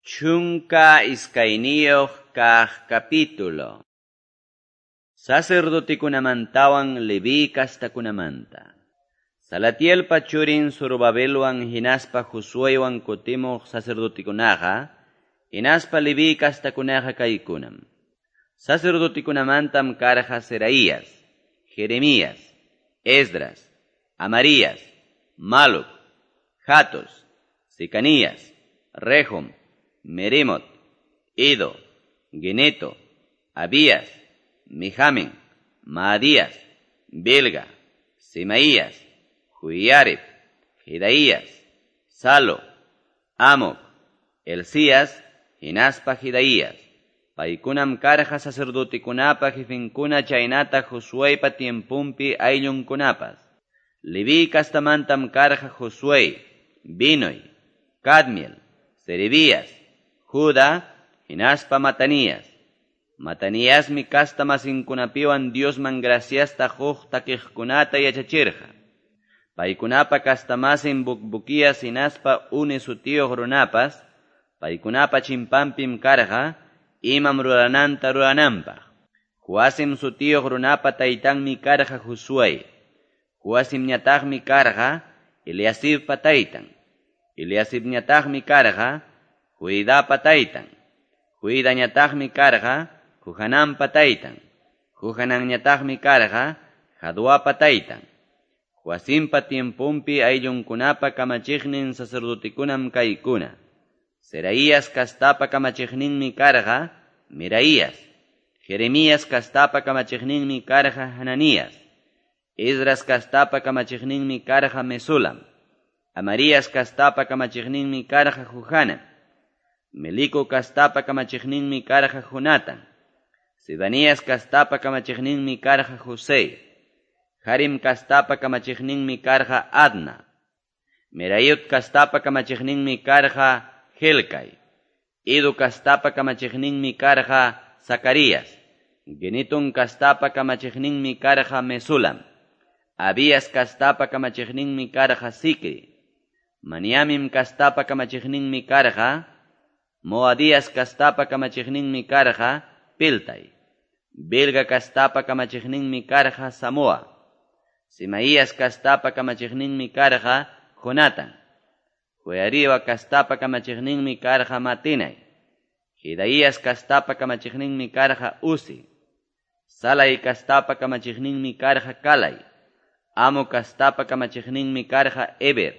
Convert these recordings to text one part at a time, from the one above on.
12 kaq capítulo. Sacerdotikunamantawan Leví kastakunamanta. Salatielpa churin Zorobabelwan hinaspa Josuewan kutimuq sacerdotikunaqa, hinaspa Leví kastakunaqa kaykunam. Sacerdotikunamantam karqa Seraías, Jeremías, Esdras, Amarías, Maluc, Hatos, Secanías, Rehum, Meremot, Ido, Geneto, Abías, Mijamin, Maadías, Bilga, Semaías, Joiarib, Jedaías, Salo, Amoc, Elías, hinaspa Jedaías. Paykunam karqa sacerdotekunapa jefenkuna chaynataq Josueypa tiempumpi ayllunkunapas. Leví kastamantam karqa Josué, Binoy, Cadmiel, Serebías, Judá, hinaspa Matanías. Mataniasmi kasta masinkunapiwan Diosman graciasta huk takiqkunata yachachirqa. Paykunapa kastamasin Bukbukías hinaspa Uni sutiyuq runapas, paykunapa chimpanpim karqa, imam rurananta rurananpaq. Joasim sutiyuq runapa taytanmi karqa Josué. Joasimñataqmi karqa Eliasibpa taytan. Eliasibñataqmi karqa Joidapa taytan. Joidañataqmi karqa Johananpa taytan. Johananñataqmi karqa Jaduapa taytan. Joacimpa tiempumpi ayllunkunapa kamachiqnin sacerdotekunam kaykuna. Seraías kastapa kamachiqninmi karqa Meraías. Jeremías kastapa kamachiqninmi karqa Hananías. Esdras kastapa kamachiqninmi karqa Mesulam. Amarías kastapa kamachiqninmi karqa Johanan. Melico kastapa kamachiqninmi karqa Jonatan. Sebanías kastapa kamachiqninmi karqa José. Harim kastapa kamachiqninmi karqa Adna. Merayot kastapa kamachiqninmi karqa Helcai. Ido kastapa kamachiqninmi karqa Zacarías. Genetón kastapa kamachiqninmi karqa Mesulam. Abías kastapa kamachiqninmi karqa Zicri. Maniamim kastapa kamachiqninmi karqa Moadías kastapa kamachiqninmi karqa Piltai. Bilga kastapa kamachiqninmi karqa Samoa. Semaías kastapa kamachiqninmi karqa Jonatan. Joiariba kastapa kamachiqninmi karqa Matinai. Jedaías kastapa kamachiqninmi karqa Uzi. Salai kastapa kamachiqninmi karqa Kalai. Amo kastapa kamachiqninmi karqa Eber.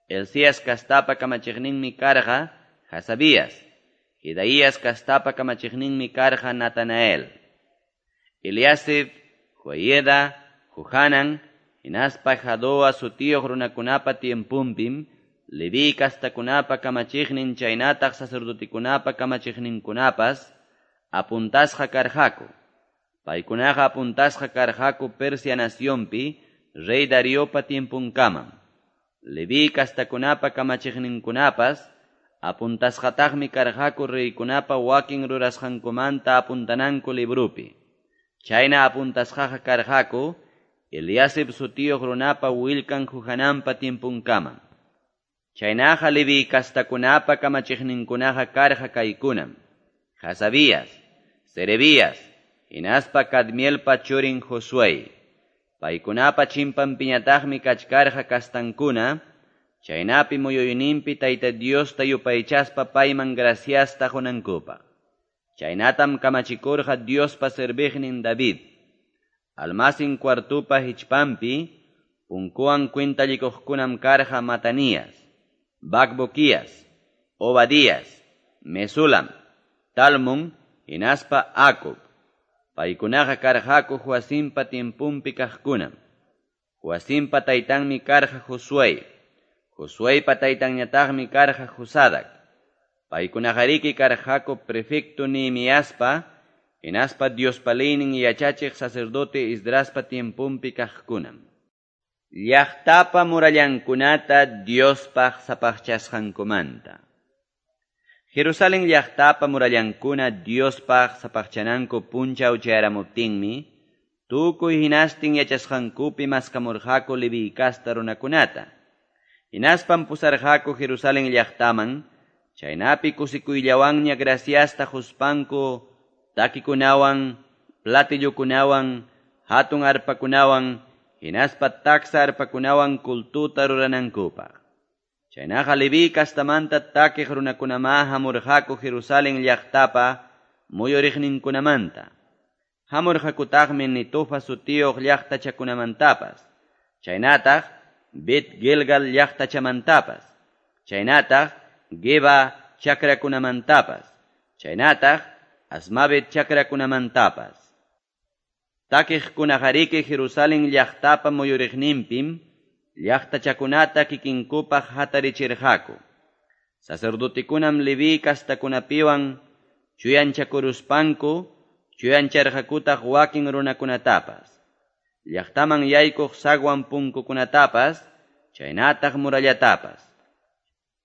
Elías kastapa kamachiqninmi karqa Hasabías. Jedaías kastapa kamachiqninmi karqa Natanael. Eliasib, Joieda, Johanan, hinaspa Jadoa sutiyuq runakunapa tiempumpim, Leví kastakunapa kamachiqnin chaynataq sacerdotekunapa kamachiqninkunapas apuntasqa karqaku. Paykunaqa apuntasqa karqaku Persia nacionpi rey Dariopa tiempunkamam. Leví kastakunapa kamachiqninkunapas apuntasqataqmi karqaku reykunapa wakin rurasqankumanta apuntananku librupi. Chayna apuntasqaqa karqaku Eliasib sutiyuq runapa willkan Johananpa tiempunkamam. Chaynaqa Leví kastakunapa kamachiqninkunaqa karqa kaykunam. Hasabías, Serebías, hinaspa Cadmielpa churin Josué. Paykunapa chimpanpiñataqmi kachkarqa kastankuna, chaynapi muyuyninpi Tayta Diosta yupaychaspa payman graciasta qunankupaq. Chaynatam kamachikurqa Diospa serviqnin David. Almacén cuartupa hichpampi, punkuwan cuentallikuqkunam karqa Matanías, Bacbuquías, Obadías, Mesulam, Talmon, hinaspa Acub. Paykunaqa karqaku Joacimpa tiempumpi kaqkunam. Joacimpa taytanmi karqa Josué. Josueypa taytanñataqmi karqa Josadak. Paykunaqariki karqaku prefecto Nehemiaspa, hinaspa Diospa leynin yachachiq sacerdote Esdraspa tiempumpi kaqkunam. Llaqtapa murallankunata Diospaq sapaqchasqankumanta. Jerusalén llaqtapa murallankuna Diospaq sapaqchananku punchaw chayaramuptinmi, tukuy hinastin yachasqankupi maskamurqaku Leví kasta runakunata. Hinaspam pusarqaku Jerusalén llaqtaman, Chaynapi kusikuyllawanña graciasta quspanku takikunawan, platillokunawan, hatun arpakunawan, hinaspa taksa arpakunawan cultuta ruranankupaq. Chaynaqa Leví kastamanta takiq runakunamá hamurqaku Jerusalén llaqtapa muyuriqninkunamanta. Hamurqakutaqmi Netofa sutiyuq llaqtachakunamantapas, chaynataq Bet Gilgal llaqtachamantapas, chaynataq Geba chakrakunamantapas, chaynataq Asmavet chakrakunamantapas. Takiqkunaqariki Jerusalén llaqtapa muyuriqninpim llaqtachakunata kikinkupaq hatarichirqaku. Sacerdotekunam Leví kastakunapiwan chuyanchakuruspanku chuyancharqakutaq wakin runakunatapas. Llaqtaman yaykuq sagwan punkukunatapas, chaynataq murallatapas.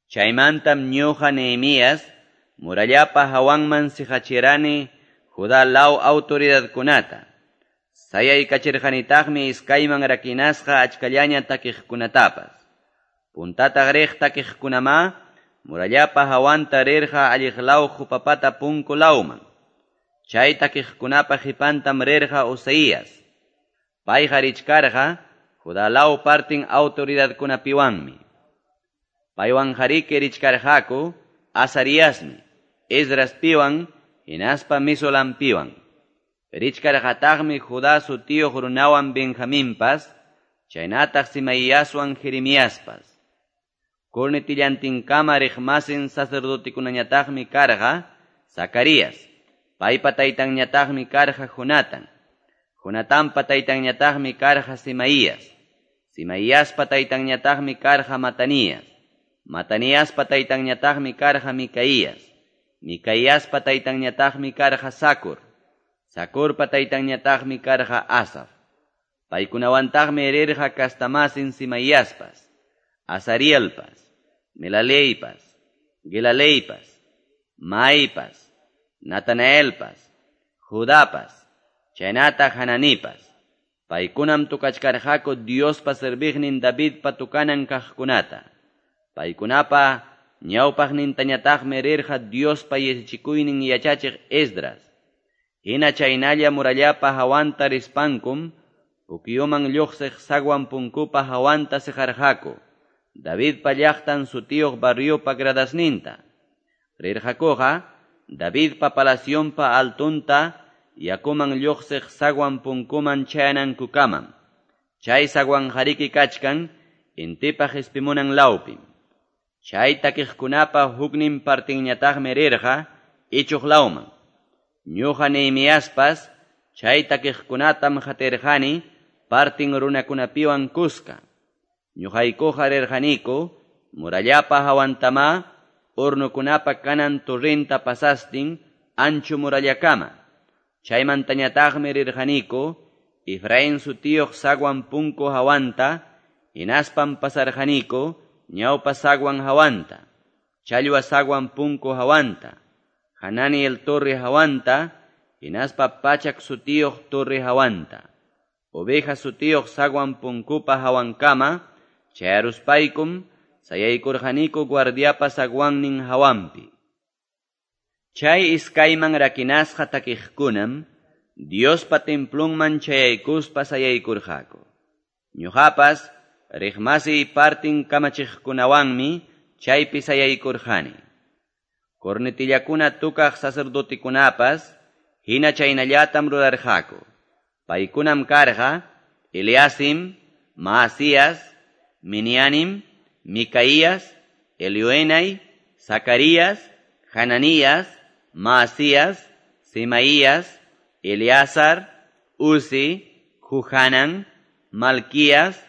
Chaymantam ñuqa Nehemías murallapa hawanman siqachirani Judá law autoridadkunata. Sayaykachirqanitaqmi iskayman rakinasqa achkallaña takiqkunatapas. Puntata riq takiqkunamá murallapa hawanta rirqa alliq law qupapata punku lawman. Chay takiqkunapa qipantam rirqa Usaías. Payqa richkarqa Judá law partin autoridadkunapiwanmi. Paywan hariki richkarqaku Azariasmi, Esdraspiwan, hinaspa Mesulampiwan. Richkarqataqmi Judá sutiyuq runawan Benjaminpas, chaynataq Simaiaswan Jeremiaspas. Cornetillantinkama riqmasin sacerdotekunañataqmi karqa Zacarías, paypa taytanñataqmi karqa Jonatán. Jonatanpa taytanñataqmi karqa Simaías. Simaiaspa taytanñataqmi karqa Matanías. Mataniaspa taytanñataqmi karqa Micaías. Micaíaspa taytanñataqmi karqa Zacur. Zacurpa taytanñataqmi karqa Asaf. Paykunawantaqmi rirqa kastamasin Simaiaspas, Azarielpas, Melaleipas, Gilaleipas, Maipas, Natanaelpas, Judapas, chaynataq Hananipas. Paykunam tukachkarqaku Diospa serviqnin Davidpa tukanan kaqkunata. Paykunapa ñawpaqnintañataqmi rirqa Diospa yachachikuynin yachachiq Esdras. Hina chaynalla murallapa hawanta rispankum, pukyuman lluqsiq sagwan punkupa hawanta siqarqaku, Davidpa llaqtan sutiyuq barriopa gradasninta. Rirqakuqa Davidpa palacionpa altunta yakuman lluqsiq sagwan punkuman chayanankukamam. Chay sagwan hariki kachkan intipa qispimunan lawpim. Chay takiqkunapa huknin partinñataqmi rirqa ichuq lawman. Ñuqa Nehemiaspas chay takiqkunatam qatirqani partin runakunapiwan kuska. Ñuqaykuqa rirqaniku murallapa hawantama hornokunapa kanan torrenta pasastin ancho murallakama. Chaymantañataqmi rirqaniku Efraín sutiyuq sagwan punku hawanta, hinaspam pasarqaniku ñawpa sagwan hawanta, challwa sagwan punku hawanta, Hananiel torre hawanta, hinaspa pachak sutiyuq torre hawanta. Oveja sutiyuq sagwan punkupa hawankama, chayaruspaykum sayaykurqaniku guardiapa sagwannin hawanpi. Chay iskayman rakinasqa takiqkunam Diospa templunman chayaykuspa sayaykurqaku. Ñuqapas riqmasiy partin kamachiqkunawanmi chaypi sayaykurqani. Cornetillakuna tukaq sacerdotekunapas hina chaynallatam rurarqaku. Paykunam karqa Eliasim, Maasías, Minianim, Micaías, Elioenai, Zacarías, Hananías, Maasías, Semaías, Eleazar, Uzi, Juhanan, Malquías,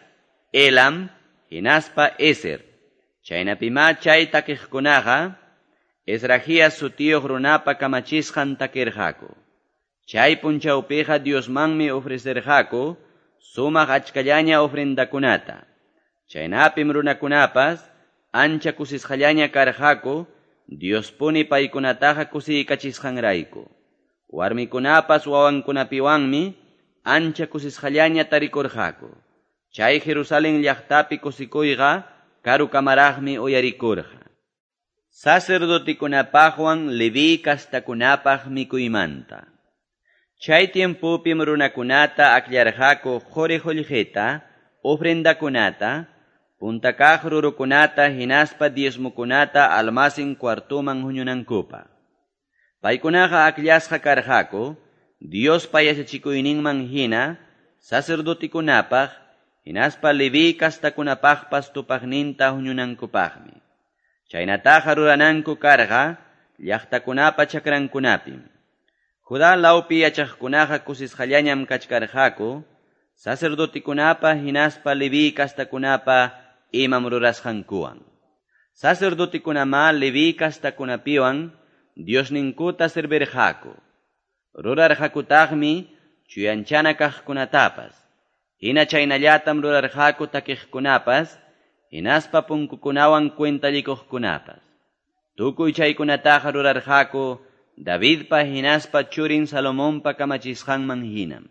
Elam, hinaspa Eser. Chaynapimá chay takiqkunaqa Esrahías sutiyuq runapa kamachisqan takirqaku. Chay punchawpiqa Diosmanmi ofrecerqaku sumaq achkallaña ofrendakunata. Chaynapim runakunapas ancha kusisqallaña karqaku Diospuni paykunataqa kusiykachisqanrayku. Warmikunapas wawankunapiwanmi ancha kusisqallaña tarikurqaku. Chay Jerusalén llaqtapi kusikuyqa karukamaraqmi uyarikurqa. Sacerdotekunapaqwan Leviy castakunapaq mikuymanta. Chay tiempopim runakunata akllarqaku qori-qullqita, ofrendakunata, punta kaq rurukunata hinaspa diezmokunata almacén cuartoman huñunankupaq. Paykunaqa akllasqa karqaku Diospa yachachikuyninman hina sacerdotekunapaq hinaspa Leví kastakunapaqpas tupaqninta huñunankupaqmi. Chaynataqa rurananku karqa llaqtakunapa chakrankunapim. Judá lawpi yachaqkunaqa kusisqallañam kachkarqaku sacerdotekunapa hinaspa Leví kastakunapa imam rurasqankuwan. Sacerdotekunamá Leví kastakunapiwan Diosninkuta servirqaku. Rurarqakutaqmi chuyanchana kaqkunatapas. Hina chaynallatam rurarqaku takiqkunapas, hinaspa punkukunawan cuentallikuqkunapas. Tukuy chaykunataqa rurarqaku Davidpa hinaspa churin Salomonpa kamachisqanman hinam.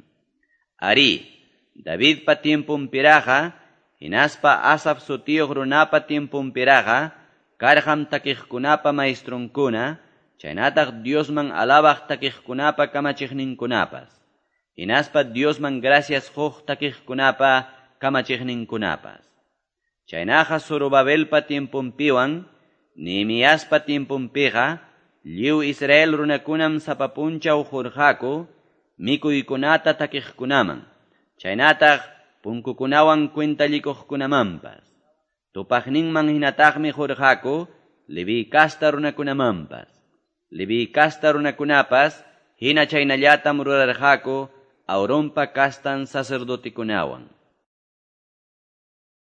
Arí, Davidpa tiemponpiraqa, hinaspa Asaf sutiyuq runapa tiemponpiraqa, karqam takiqkunapa maestronkuna, chaynataq Diosman alabaq takiqkunapa kamachiqninkunapas. Hinaspa Diosman gracias quq takiqkunapa kamachiqninkunapas. Chaynaqa Zorobabelpa tiemponpiwan, Nehemiaspa tiemponpiqa, lliw Israel runakunam sapa punchaw qurqaku mikuykunata takiqkunaman, chaynataq punkukunawan cuentallikuqkunamanpas. Tupaqninman hinataqmi qurqaku Leví casta runakunamanpas. Leví casta runakunapas hina chaynallatam rurarqaku Aaronpa castan sacerdotekunawan.